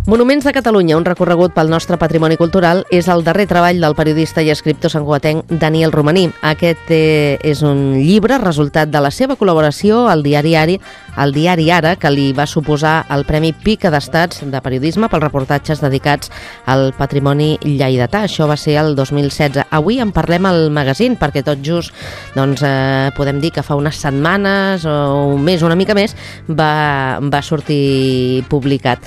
Monuments de Catalunya, un recorregut pel nostre patrimoni cultural, és el darrer treball del periodista i escriptor santcugatenc Daniel Romaní. Aquest és un llibre resultat de la seva col·laboració al diari Ara, que li va suposar el Premi Pica d'Estats de Periodisme pels reportatges dedicats al patrimoni lleidatà. Això va ser el 2016. Avui en parlem al magazín, perquè tot just podem dir que fa unes setmanes o un mes, una mica més, va sortir publicat.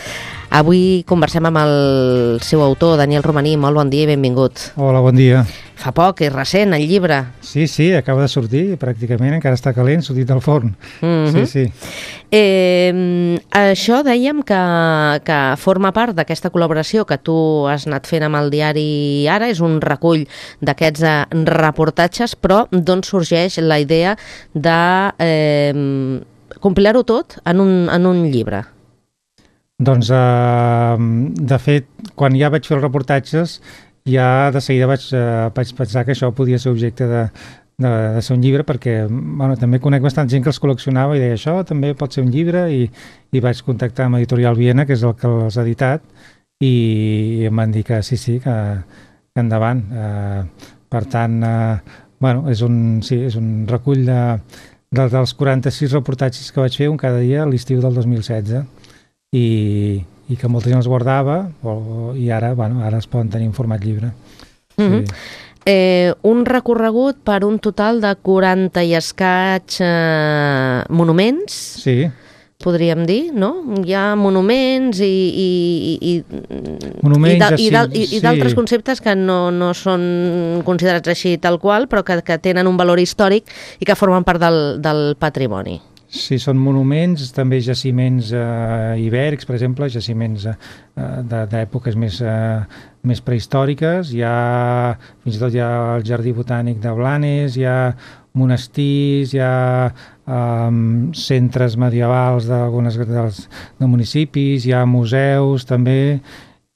Avui conversem amb el seu autor, Daniel Romaní. Molt bon dia i benvingut. Hola, bon dia. Fa poc, és recent, el llibre. Sí, acaba de sortir, pràcticament, encara està calent, sortit del forn. Sí. Això dèiem que forma part d'aquesta col·laboració que tu has anat fent amb el diari Ara, és un recull d'aquests reportatges, però d'on sorgeix la idea de compilar-ho tot en un llibre? Doncs, de fet, quan ja vaig fer els reportatges, ja de seguida vaig pensar que això podia ser objecte de ser un llibre, perquè també conec bastant gent que els col·leccionava i deia això també pot ser un llibre, i vaig contactar amb Editorial Viena, que és el que els ha editat, i em van dir que sí, que endavant. Per tant, és un recull dels 46 reportatges que vaig fer un cada dia a l'estiu del 2016. I que molta gent els guardava i ara es poden tenir en format llibre. Un recorregut per un total de 40 i escaig monuments, sí, podríem dir, no? Hi ha monuments i d'altres conceptes que no són considerats així tal qual, però que tenen un valor històric i que formen part del patrimoni. Sí, són monuments, també jaciments ibèrics, per exemple, jaciments d'èpoques més prehistòriques. Fins i tot hi ha el Jardí Botànic de Blanes, hi ha monestirs, hi ha centres medievals de municipis, hi ha museus també,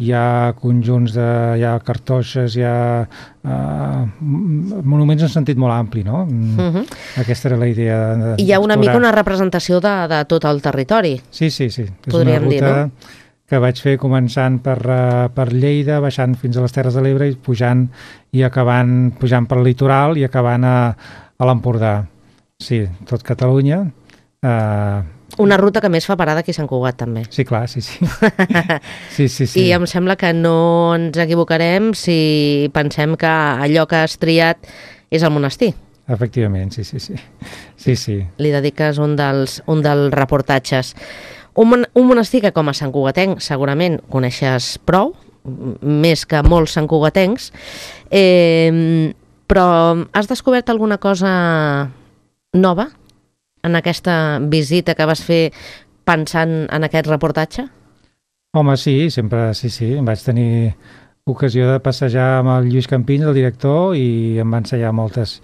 hi ha conjunts, hi ha cartoixes, hi ha monuments en sentit molt ampli, no? Aquesta era la idea. Hi ha una mica una representació de tot el territori. Sí. És una ruta que vaig fer començant per Lleida, baixant fins a les Terres de l'Ebre i pujant per el litoral i acabant a l'Empordà. Sí, tot Catalunya. Una ruta que més fa parada aquí a Sant Cugat, també. Sí, clar, sí. Sí. I em sembla que no ens equivocarem si pensem que allò que has triat és el monestir. Efectivament, sí. Li dediques un dels reportatges. Un monestir que, com a santcugatenc, segurament coneixes prou, més que molts santcugatencs, però has descobert alguna cosa nova en aquesta visita que vas fer pensant en aquest reportatge? Home, sí, sempre, sí. Vaig tenir ocasió de passejar amb el Lluís Campins, el director, i em va ensenyar moltes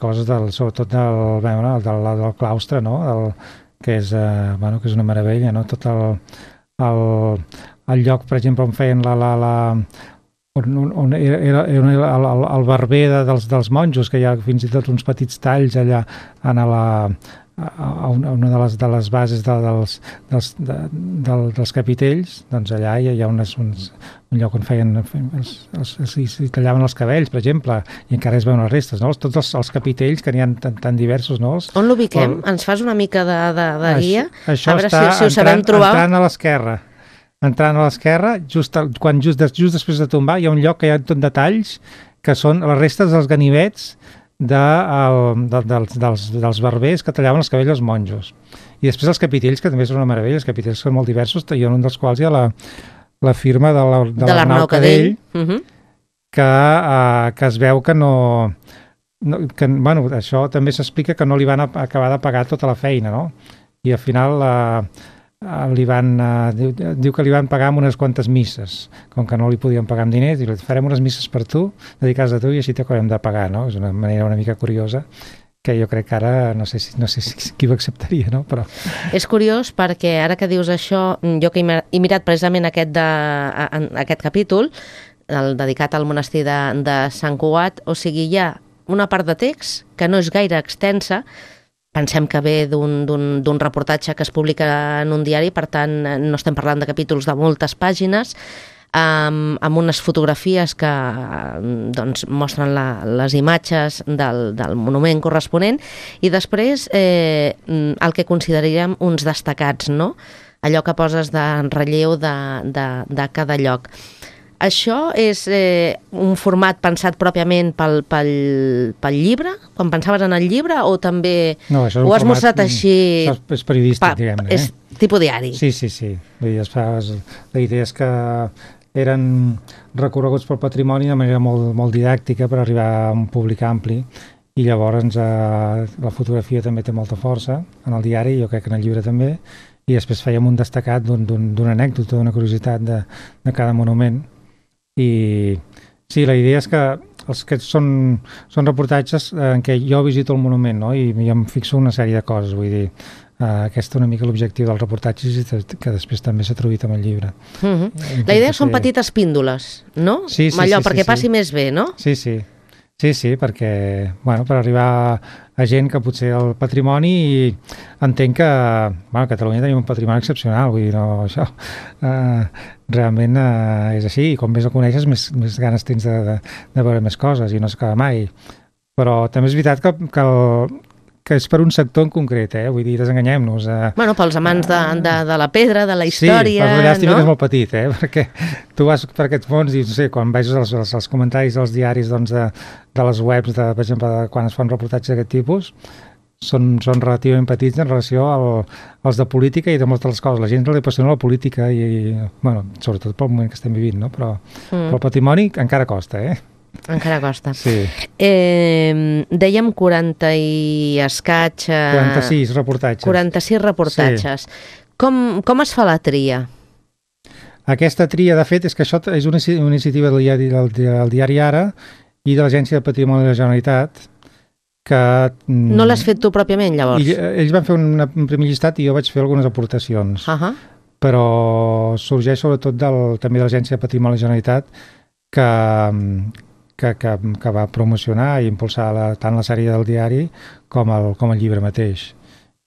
coses, sobretot del claustre, no? Que és una meravella, no? Tot el lloc, per exemple, on feien on era el barber dels monjos, que hi ha fins i tot uns petits talls allà a una de les bases dels capitells. Doncs allà hi ha un lloc on s'hi tallaven els cabells, per exemple, i encara es veuen les restes, no? Tots els capitells, que n'hi ha tan diversos, no? On l'ubiquem? Ens fas una mica de guia? Això a veure està si ho sabem trobar. Entrant a l'esquerra, just després de tombar, hi ha un lloc que hi ha tot detalls, que són les restes dels ganivets dels barbers que tallaven els cabells als monjos. I després els capitells, que també són una meravella, els capitells són molt diversos, i en un dels quals hi ha la firma de l'Arnau Cadell, que es veu que no... això també s'explica que no li van acabar de pagar tota la feina, no? I al final diu que li van pagar amb unes quantes misses, com que no li podien pagar amb diners, i farem unes misses per tu, dedicades a tu, i així t'acabem de pagar, no? És una manera una mica curiosa, que jo crec que ara no sé si qui ho acceptaria, no? Però... És curiós perquè ara que dius això, jo que he mirat precisament aquest capítol, el dedicat al monestir de Sant Cugat, o sigui, hi ha una part de text que no és gaire extensa, pensem que ve d'un reportatge que es publica en un diari, per tant no estem parlant de capítols de moltes pàgines, amb unes fotografies que doncs, mostren les imatges del monument corresponent, i després el que consideraríem uns destacats, no? Allò que poses en relleu de cada lloc. Això és un format pensat pròpiament pel llibre, quan pensaves en el llibre, o també no, ho has mostrat així? Això és periodístic, diguem-ne. És tipus diari. Sí. Vull dir, la idea és que eren recorreguts pel patrimoni de manera molt, molt didàctica per arribar a un públic ampli, i llavors la fotografia també té molta força en el diari, jo crec que en el llibre també, i després fèiem un destacat d'una anècdota, d'una curiositat de cada monument. I sí, la idea és que aquests són reportatges en què jo visito el monument, no? I em fixo una sèrie de coses, vull dir, aquest una mica l'objectiu dels reportatges, que després també s'ha traduït amb el llibre. La idea són petites píndoles, no? Sí, allò, perquè passi més bé, no? Sí, perquè, bueno, per arribar a gent que potser el patrimoni, i entenc que, bueno, a Catalunya tenim un patrimoni excepcional, vull dir, no, això realment és així, i com més el coneixes, més ganes tens de veure més coses, i no s'acaba mai. Però també és veritat que és per un sector en concret, vull dir, desenganyem-nos. Bueno, pels amants de la pedra, de la història, sí, però llàstima, no? Que és molt petit, perquè tu vas per aquests fons i, no sé, quan veus els comentaris dels diaris, doncs, de les webs, per exemple, quan es fan reportatges d'aquest tipus, són relativament petits en relació als de política i de moltes les coses. La gent li apassiona la política i, bueno, sobretot pel moment que estem vivint, no? Però el patrimoni encara costa, Encara costa. Sí. Dèiem 40 i escaig... 46 reportatges. 46 reportatges. Sí. Com es fa la tria? Aquesta tria, de fet, és que això és una iniciativa del diari Ara i de l'Agència de Patrimoni de la Generalitat, que... No l'has fet tu pròpiament, llavors? Ells van fer un primer llistat i jo vaig fer algunes aportacions. Però sorgeix sobretot també de l'Agència de Patrimoni de la Generalitat, que va promocionar i impulsar tant la sèrie del diari com el llibre mateix.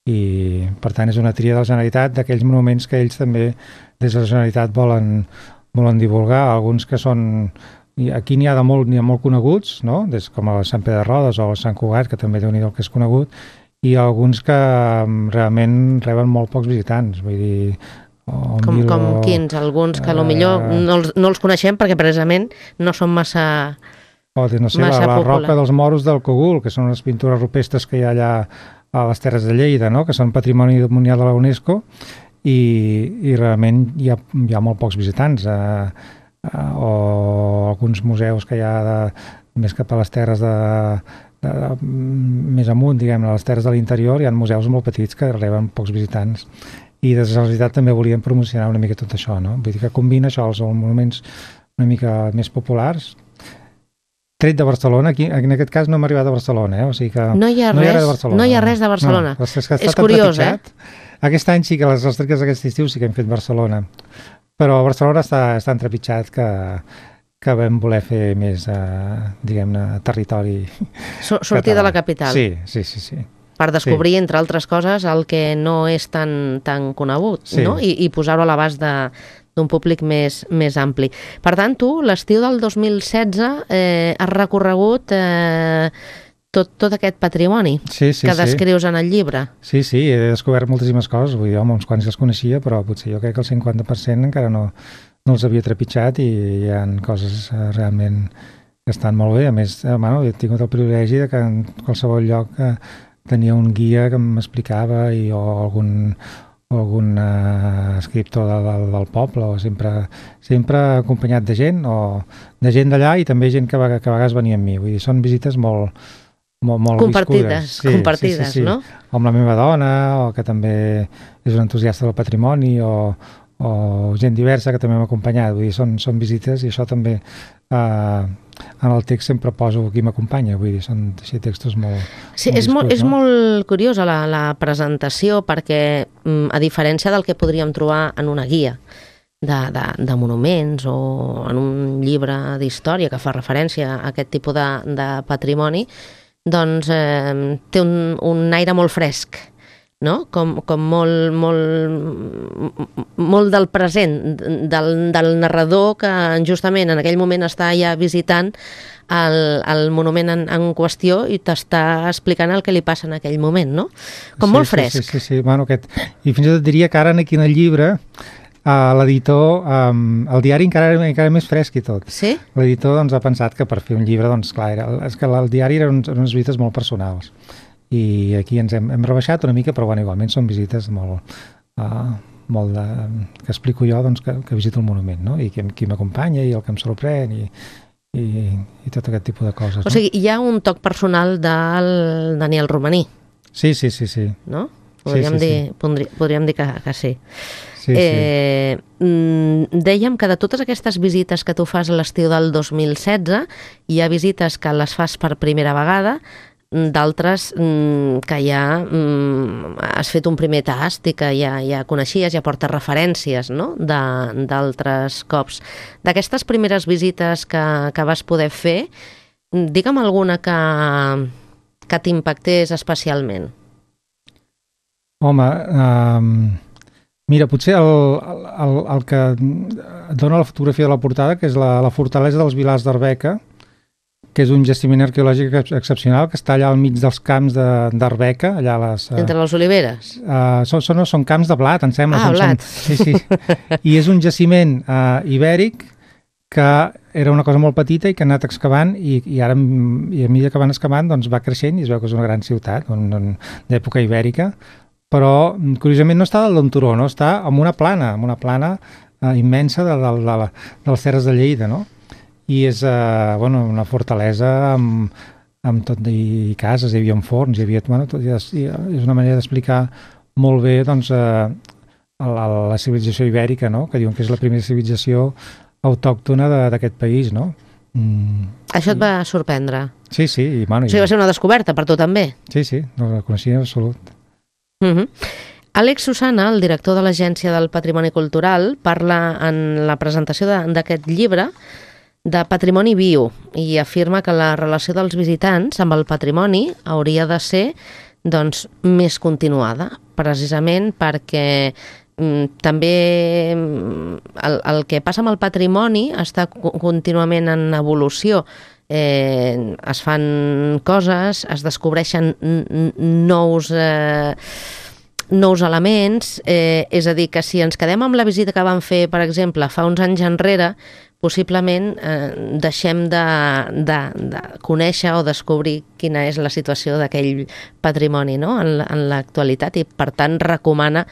I, per tant, és una tria de la Generalitat d'aquells monuments que ells també, des de la Generalitat, volen divulgar. Alguns que són... Aquí n'hi ha molt coneguts, no? Com el Sant Pere de Rodes o el Sant Cugat, que també Déu-n'hi-do que és conegut, i alguns que realment reben molt pocs visitants. Vull dir... Com quins? Alguns que potser no els coneixem perquè precisament no són massa... No sé, la roca dels moros del Cogul, que són les pintures rupestres que hi ha allà a les Terres de Lleida, no? Que són patrimoni mundial de la UNESCO, i realment hi ha molt pocs visitants. O alguns museus que hi ha més cap a les terres més amunt, diguem, a les terres de l'interior, hi ha museus molt petits que reben pocs visitants. I des de la Generalitat també volíem promocionar una mica tot això, no? Vull dir que combina això, els monuments una mica més populars, tret de Barcelona. Aquí, en aquest cas no hem arribat a Barcelona, o sigui que no hi ha res de Barcelona. No, és curiós, Aquest any sí que les restrictes d'aquest estiu sí que hem fet Barcelona, però Barcelona està entrepitjat que vam voler fer més, diguem-ne, territori sortir català. De la capital. Sí. Per descobrir, entre altres coses, el que no és tan conegut, no? I posar-ho a l'abast d'un públic més ampli. Per tant, tu, l'estiu del 2016, has recorregut tot aquest patrimoni que descrius en el llibre. Sí, he descobert moltíssimes coses. Vull dir, uns quants els coneixia, però potser jo crec que el 50% encara no els havia trepitjat, i hi ha coses realment que estan molt bé. A més, he tingut el privilegi de que en qualsevol lloc tenia un guia que m'explicava, o algun escriptor del poble, o sempre acompanyat de gent, o de gent d'allà, i també gent que a vegades venia amb mi. Vull dir, són visites molt compartides, viscudes. No? O amb la meva dona, o que també és un entusiasta del patrimoni, o gent diversa que també m'ha acompanyat. Vull dir, són visites, i això també en el text sempre poso qui m'acompanya. Vull dir, són així textos molt... Sí, és molt curiosa la presentació, perquè a diferència del que podríem trobar en una guia de monuments o en un llibre d'història que fa referència a aquest tipus de patrimoni, doncs té un aire molt fresc, no? Com molt del present, del narrador que justament en aquell moment està ja visitant el monument en qüestió i t'està explicant el que li passa en aquell moment, no? Com molt fresc. Sí. Bueno, i fins i tot diria que ara aquí en el llibre l'editor, el diari encara més fresc i tot. Sí? L'editor doncs, ha pensat que per fer un llibre, doncs clar, és que el diari eren unes visites molt personals. I aquí ens hem rebaixat una mica, però bueno, igualment són visites molt que explico jo doncs, que visito el monument, no? I qui m'acompanya i el que em sorprèn i tot aquest tipus de coses. O sigui, hi ha un toc personal del Daniel Romaní. Sí. No? Podríem dir que sí. Sí. Dèiem que de totes aquestes visites que tu fas a l'estiu del 2016, hi ha visites que les fas per primera vegada, d'altres que ja has fet un primer tast i que ja coneixies, ja portes referències, no? D'altres cops. D'aquestes primeres visites que vas poder fer, digue'm alguna que t'impactés especialment. Home, mira, potser el que dona la fotografia de la portada, que és la fortalesa dels Vilars d'Arbeca, que és un jaciment arqueològic excepcional, que està allà al mig dels camps d'Arbeca, allà a les... Entre les oliveres? Són camps de blat, em sembla. Blat. Sí. I és un jaciment ibèric que era una cosa molt petita i que ha anat excavant i ara, a mesura que van excavant, doncs va creixent i es veu que és una gran ciutat d'època ibèrica, però curiosament no està dalt d'un turó, no? Està en una plana immensa de les Terres de Lleida, no? I és una fortalesa amb tot i cases, hi havia forns, hi havia... és una manera d'explicar molt bé doncs, la civilització ibèrica, no? Que diuen que és la primera civilització autòctona d'aquest país, no? Això et va sorprendre? Sí. O sigui, va ser una descoberta per tu també? Sí, no la coneixia en absolut. Àlex Susana, el director de l'Agència del Patrimoni Cultural, parla en la presentació d'aquest llibre de patrimoni viu i afirma que la relació dels visitants amb el patrimoni hauria de ser doncs, més continuada, precisament perquè també el que passa amb el patrimoni està contínuament en evolució. Es fan coses, es descobreixen nous elements, és a dir, que si ens quedem amb la visita que vam fer, per exemple, fa uns anys enrere, possiblement deixem de conèixer o descobrir quina és la situació d'aquell patrimoni, no? en l'actualitat, i per tant recomana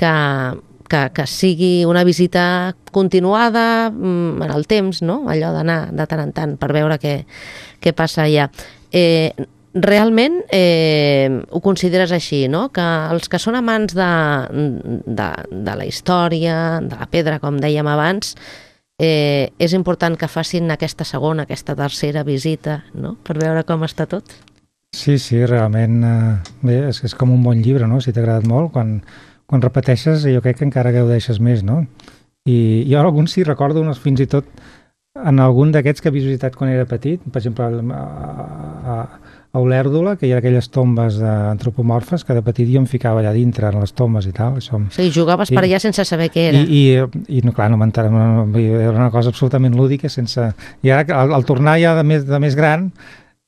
que sigui una visita continuada en el temps, no? Allò d'anar de tant en tant per veure què passa allà. Realment ho consideres així, no? Que els que són amants de la història, de la pedra, com dèiem abans, és important que facin aquesta segona, aquesta tercera visita, no? Per veure com està tot. Sí, realment bé, és com un bon llibre, no? Si t'ha agradat molt, quan repeteixes jo crec que encara gaudeixes més, no? I jo alguns sí recordo fins i tot en algun d'aquests que havia visitat quan era petit, per exemple a Olèrdola, que hi ha aquelles tombes antropomorfes que de petit jo em ficava allà dintre en les tombes i tal. Sí, jugaves per allà sense saber què era. I no, clar, era una cosa absolutament lúdica, i ara al tornar ja de més gran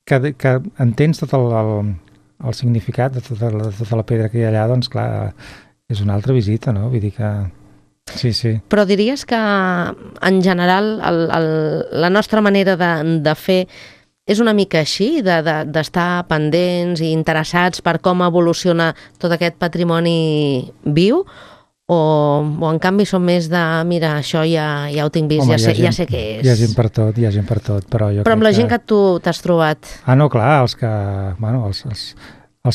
que entens tot el significat de tota la pedra que hi ha allà, doncs clar, és una altra visita, no? Vull dir que... Sí. Però diries que en general la nostra manera de fer és una mica així, d'estar pendents i interessats per com evoluciona tot aquest patrimoni viu, o en canvi som més de, mira, això ja ho tinc vist, ja sé què és. Hi ha gent per tot, però jo Però amb la gent que tu t'has trobat... No, clar, els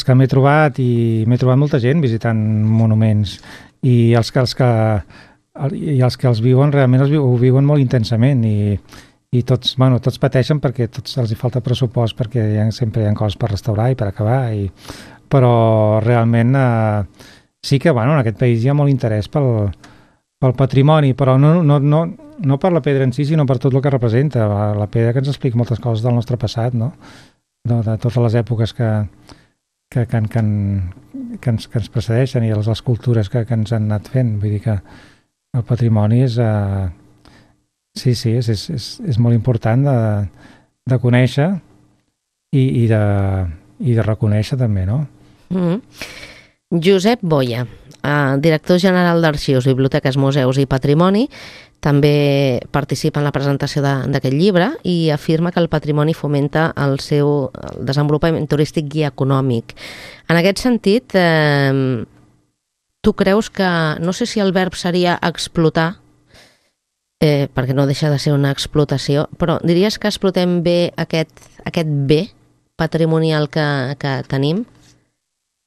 que m'he trobat, i m'he trobat molta gent visitant monuments, i els que els viuen realment ho viuen molt intensament, i tots pateixen perquè tots els hi falta pressupost, perquè sempre hi ha coses per restaurar i per acabar, però realment sí que en aquest país hi ha molt interès pel patrimoni, però no per la pedra en si, sinó per tot el que representa. La pedra que ens explica moltes coses del nostre passat, no? de totes les èpoques que ens precedeixen i les cultures que ens han anat fent. Vull dir que el patrimoni és... sí, és molt important de conèixer i de reconèixer també, no? Josep Boya, director general d'Arxius, Biblioteques, Museus i Patrimoni, també participa en la presentació d'aquest llibre i afirma que el patrimoni fomenta el seu desenvolupament turístic i econòmic. En aquest sentit, tu creus que, no sé si el verb seria explotar, perquè no deixa de ser una explotació, però diries que explotem bé aquest bé patrimonial que tenim?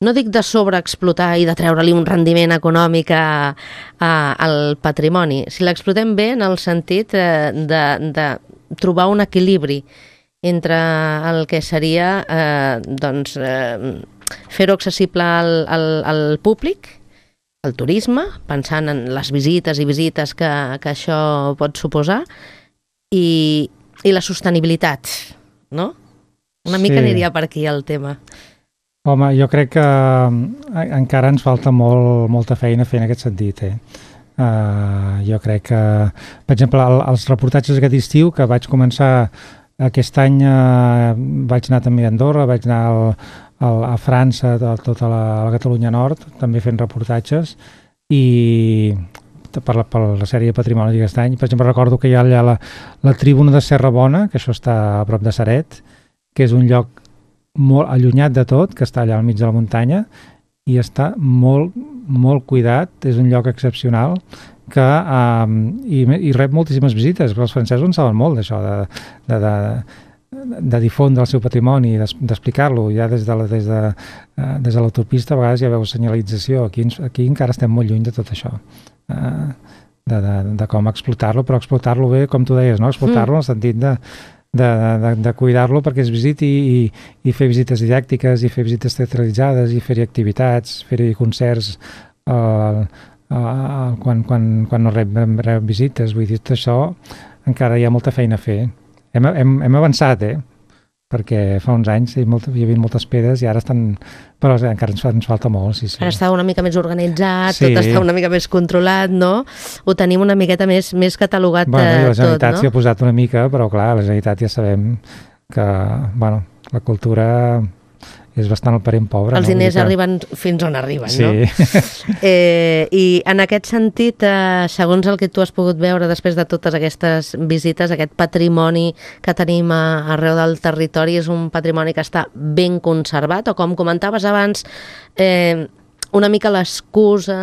No dic de sobreexplotar i de treure-li un rendiment econòmic al patrimoni, si l'explotem bé en el sentit de trobar un equilibri entre el que seria fer-ho accessible al públic, el turisme, pensant en les visites i visites que això pot suposar, i la sostenibilitat, no? Una mica aniria per aquí el tema. Home, jo crec que encara ens falta molta feina fer en aquest sentit. Jo crec que, per exemple, els reportatges aquest estiu, que vaig començar aquest any, vaig anar també a Andorra, vaig anar a França, a tota la Catalunya Nord, també fent reportatges, i per la sèrie de Patrimoni d'aquest any. Per exemple, recordo que hi ha allà la Tribuna de Serra Bona, que això està a prop de Ceret, que és un lloc molt allunyat de tot, que està allà al mig de la muntanya, i està molt cuidat, és un lloc excepcional, i rep moltíssimes visites, perquè els francesos en saben molt d'això, de difondre el seu patrimoni, d'explicar-lo. Ja des de l'autopista a vegades ja veus senyalització. Aquí encara estem molt lluny de tot això, de com explotar-lo, però explotar-lo bé, com tu deies, no? Explotar-lo en el sentit de cuidar-lo perquè es visiti i fer visites didàctiques i fer visites teatralitzades i fer-hi activitats, fer-hi concerts quan no rep visites. Vull dir, tot això encara hi ha molta feina a fer. Hem avançat, perquè fa uns anys hi havia moltes pedres i ara estan... Però encara ens falta molt, sí. Ara està una mica més organitzat, tot està una mica més controlat, no? Ho tenim una miqueta més catalogat tot, no? I la Generalitat s'hi ha posat una mica, però clar, la Generalitat ja sabem que, la cultura és bastant el parent pobre. Els diners arriben fins on arriben, no? I en aquest sentit, segons el que tu has pogut veure després de totes aquestes visites, aquest patrimoni que tenim arreu del territori és un patrimoni que està ben conservat, o com comentaves abans, una mica l'excusa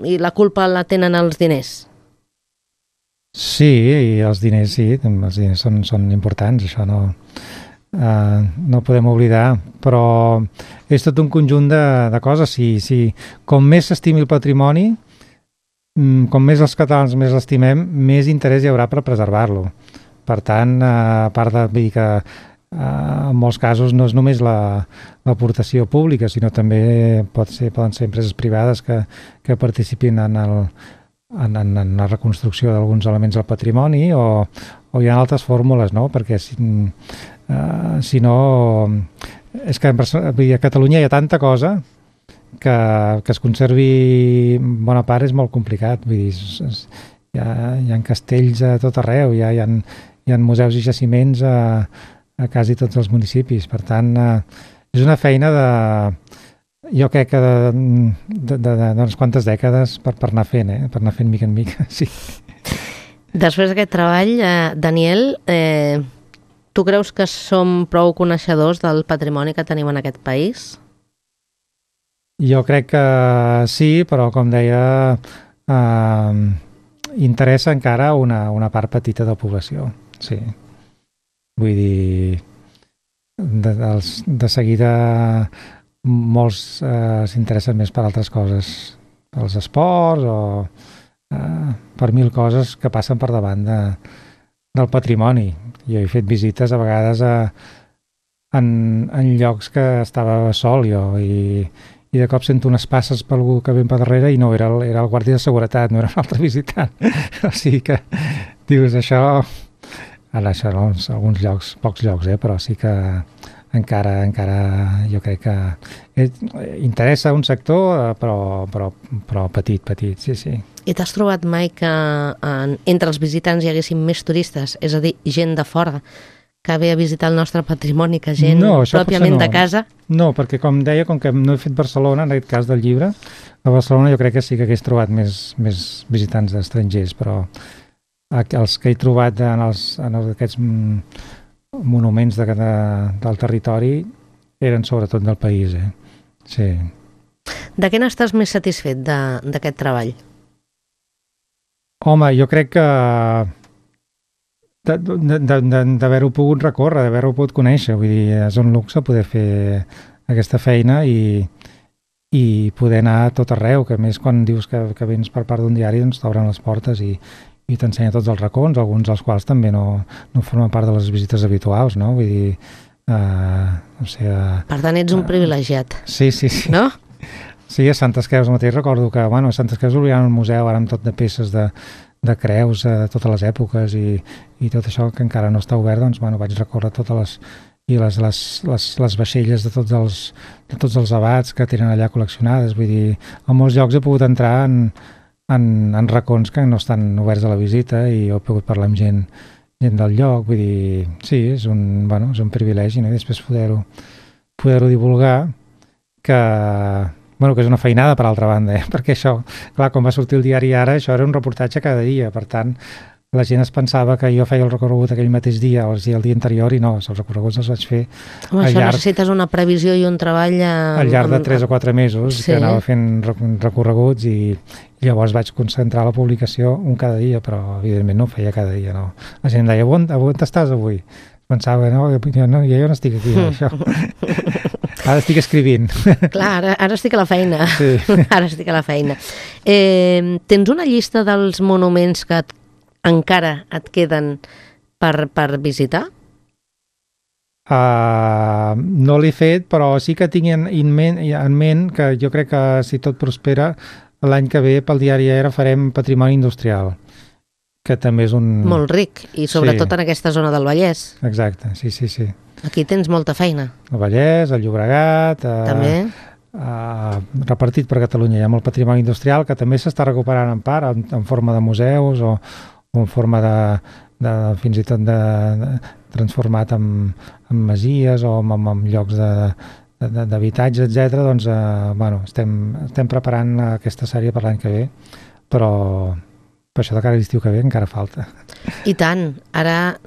i la culpa la tenen els diners? Sí, i els diners són importants, això no podem oblidar, però és tot un conjunt de coses. Com més s'estimi el patrimoni, com més els catalans més l'estimem, més interès hi haurà per preservar-lo. Per tant, a part de dir que en molts casos no és només l'aportació pública, sinó també poden ser empreses privades que participin en la reconstrucció d'alguns elements del patrimoni, o hi ha altres fórmules, no? Perquè si no, és que a Catalunya hi ha tanta cosa que es conservi bona part és molt complicat. Vull dir, hi ha castells a tot arreu, hi ha museus i jaciments a quasi tots els municipis. Per tant, és una feina jo crec que d'unes quantes dècades per anar fent, per anar fent mica en mica, sí. Després d'aquest treball, Daniel, tu creus que som prou coneixedors del patrimoni que tenim en aquest país? Jo crec que sí, però com deia, interessa encara una part petita de la població, sí. Vull dir, de seguida molts s'interessen més per altres coses, pels esports o per mil coses que passen per davant del patrimoni. Jo he fet visites a vegades en llocs que estava sol jo i de cop sento unes passes per algú que ve per darrere i no, era el guàrdia de seguretat, no era un altre visitant. O sigui que dius això... Ara això no, alguns llocs, pocs llocs, però sí que encara jo crec que interessa un sector, però petit, sí. I t'has trobat mai que entre els visitants hi haguessin més turistes? És a dir, gent de fora que ve a visitar el nostre patrimoni, que gent pròpiament de casa? No, perquè com deia, com que no he fet Barcelona, en aquest cas del llibre, a Barcelona jo crec que sí que hagués trobat més visitants estrangers, però els que he trobat en aquests monuments del territori eren sobretot del país, sí. De què n'estàs més satisfet d'aquest treball? Home, jo crec que d'haver-ho pogut recórrer, d'haver-ho pogut conèixer, vull dir, és un luxe poder fer aquesta feina i poder anar a tot arreu, que a més quan dius que vens per part d'un diari doncs t'obren les portes i t'ensenya tots els racons, alguns dels quals també no formen part de les visites habituals, no? Vull dir, no sé... Per tant, ets un privilegiat. Sí. No? Sí, a Santes Creus mateix recordo que, a Santes Creus obrien un museu ara amb tot de peces de creus de totes les èpoques i tot això que encara no està obert, doncs, vaig recórrer totes les vaixelles de tots els abats que tenen allà col·leccionades. Vull dir, a molts llocs he pogut entrar en racons que no estan oberts a la visita i he pogut parlar amb gent del lloc. Vull dir, sí, és un privilegi, no? I després poder-ho divulgar, que és una feinada per altra banda, perquè això, clar, quan va sortir el diari Ara, això era un reportatge cada dia, per tant, la gent es pensava que jo feia el recorregut aquell mateix dia o el dia anterior i no, els recorreguts els vaig fer necessites una previsió i un treball al llarg de 3 o 4 mesos, que anava fent recorreguts i llavors vaig concentrar la publicació un cada dia, però evidentment no ho feia cada dia, no. La gent deia, on estàs avui? Pensava, jo no estic aquí, això. Ara estic escrivint. Clar, ara estic a la feina. Sí. Ara estic a la feina. Tens una llista dels monuments que encara et queden per visitar? No l'he fet, però sí que tinc en ment que jo crec que si tot prospera, l'any que ve pel diari Ara farem patrimoni industrial, que també és un... Molt ric, i sobretot en aquesta zona del Vallès. Exacte, sí. Aquí tens molta feina. El Vallès, el Llobregat... També. Repartit per Catalunya. Hi ha molt patrimoni industrial que també s'està recuperant en part, en forma de museus o en forma de fins i tot transformat en masies o en llocs d'habitatge, etc. Doncs, estem preparant aquesta sèrie per l'any que ve, però per això de cara a l'estiu que ve encara falta. I tant. Ara,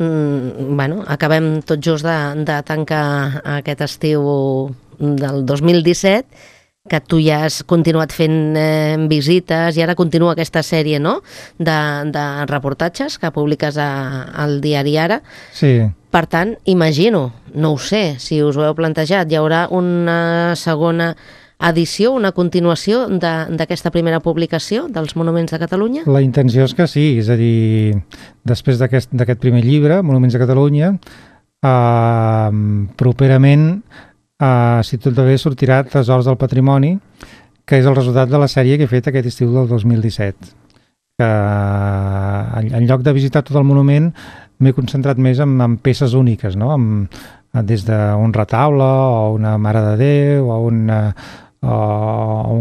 acabem tot just de tancar aquest estiu del 2017, que tu ja has continuat fent visites i ara continua aquesta sèrie, no?, de reportatges que publiques al diari Ara. Sí. Per tant, imagino, no ho sé, si us ho heu plantejat, hi haurà una segona edició, una continuació d'aquesta primera publicació dels Monuments de Catalunya? La intenció és que sí, és a dir, després d'aquest primer llibre, Monuments de Catalunya, properament, si tot va bé, sortirà Tresors del Patrimoni, que és el resultat de la sèrie que he fet aquest estiu del 2017. Que en lloc de visitar tot el monument m'he concentrat més en peces úniques, no? Des d'un retaule o una Mare de Déu o un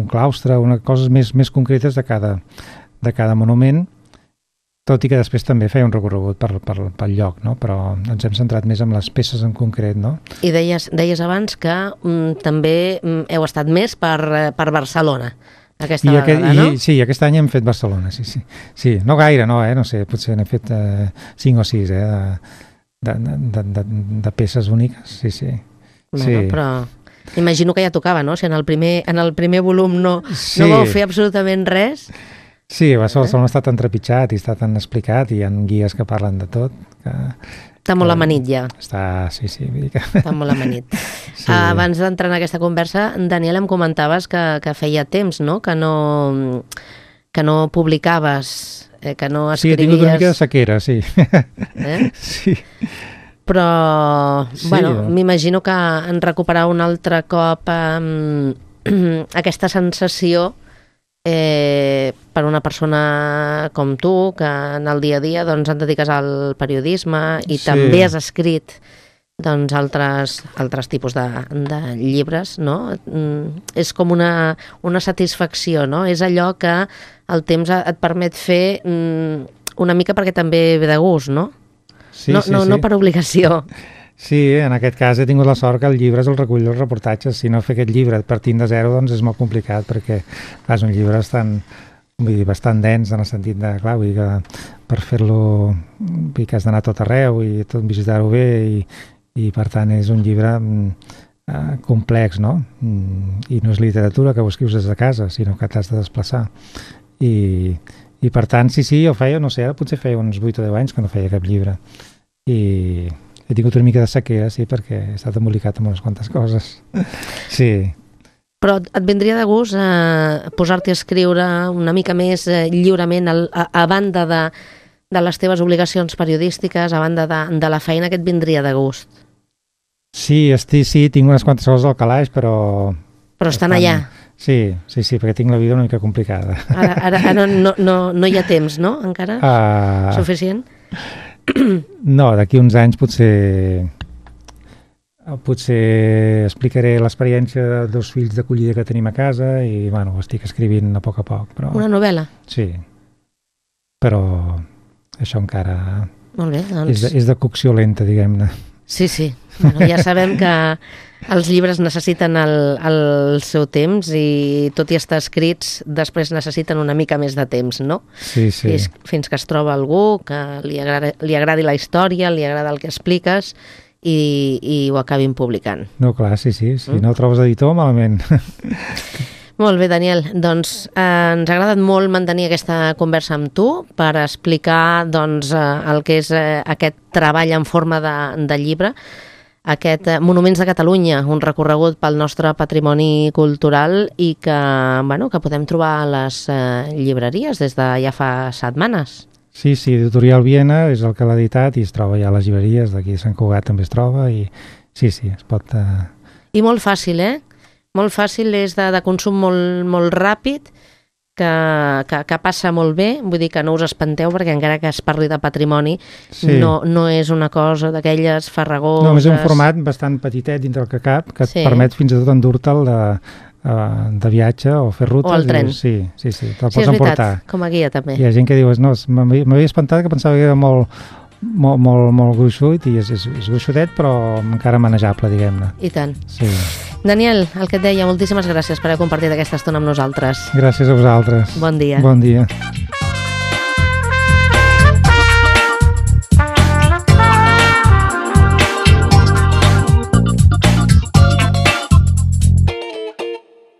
claustre, coses més concretes de cada monument, tot i que després també feia un recorregut pel lloc, no? Però ens hem centrat més en les peces en concret, no? I deies abans que també heu estat més per Barcelona aquesta vegada, no? Sí, aquest any hem fet Barcelona, sí. Sí, no gaire, no sé, potser n'he fet 5 o 6, de peces úniques, sí. Bueno, però imagino que ja tocava, no? Si en el primer volum no vau fer absolutament res. Sí, Barcelona està tan trepitjat i està tan explicat i hi ha guies que parlen de tot. Està molt amanit ja. Sí. Està molt amanit. Sí. Abans d'entrar en aquesta conversa, Daniel, em comentaves que feia temps, no?, que no publicaves, que no escrivies... Sí, he tingut una mica de sequera, sí. Sí. Però, m'imagino que en recuperar un altre cop aquesta sensació per una persona com tu, que en el dia a dia doncs et dediques al periodisme i també has escrit doncs altres tipus de llibres, no? És com una satisfacció, no? És allò que el temps et permet fer una mica perquè també ve de gust, no? Sí. No per obligació. Sí, en aquest cas he tingut la sort que el llibre és el recull dels reportatges. Si no fer aquest llibre partint de zero, doncs és molt complicat, perquè és un llibre bastant dens en el sentit de, clar, vull dir que per fer-lo que has d'anar a tot arreu i tot visitar-ho bé i per tant és un llibre complex, no? I no és literatura que ho escrius des de casa, sinó que t'has de desplaçar. I per tant, sí, jo feia, no sé, ara potser feia uns 8 o 10 anys que no feia cap llibre. I he tingut una mica de sequera, sí, perquè he estat embolicat amb unes quantes coses. Sí. Però et vindria de gust posar-te a escriure una mica més lliurement a banda de les teves obligacions periodístiques, a banda de la feina que et vindria de gust? Sí, tinc unes quantes coses al calaix, però... Però estan allà. Sí, perquè tinc la vida una mica complicada. Ara no hi ha temps, no? Encara? Suficient? No, d'aquí uns anys potser explicaré l'experiència de 2 fills d'acollida que tenim a casa i, bueno, ho estic escrivint a poc. Però... Una novel·la? Sí, però això encara... Molt bé, doncs... És de cocció lenta, diguem-ne. Sí. Bueno, ja sabem que els llibres necessiten el seu temps i tot i estar escrits després necessiten una mica més de temps, no? Sí. Fins que es troba algú que li agradi la història, li agrada el que expliques i ho acabin publicant. No, clar, sí. Si no trobes editor, malament. Molt bé, Daniel. Doncs ens ha agradat molt mantenir aquesta conversa amb tu per explicar doncs, el que és aquest treball en forma de llibre, aquest Monuments de Catalunya, un recorregut pel nostre patrimoni cultural i que podem trobar a les llibreries des de ja fa setmanes. Sí, Editorial Viena és el que l'ha editat i es troba ja a les llibreries, d'aquí de Sant Cugat també es troba i sí, es pot... I molt fàcil, Molt fàcil, és de consum molt ràpid, que passa molt bé, vull dir que no us espanteu perquè encara que es parli de patrimoni no és una cosa d'aquelles farragoses... No, és un format bastant petitet dintre el que cap, que et permet fins i tot endur-te'l de viatge o fer rutes. O al tren. Sí, te'l pots emportar. És veritat, com a guia també. Hi ha gent que diu, no, m'havia espantat, que pensava que era molt gruixut i és gruixudet però encara manejable, diguem-ne. I tant. Sí. Daniel, el que et deia, moltíssimes gràcies per haver compartit aquesta estona amb nosaltres. Gràcies a vosaltres. Bon dia. Bon dia.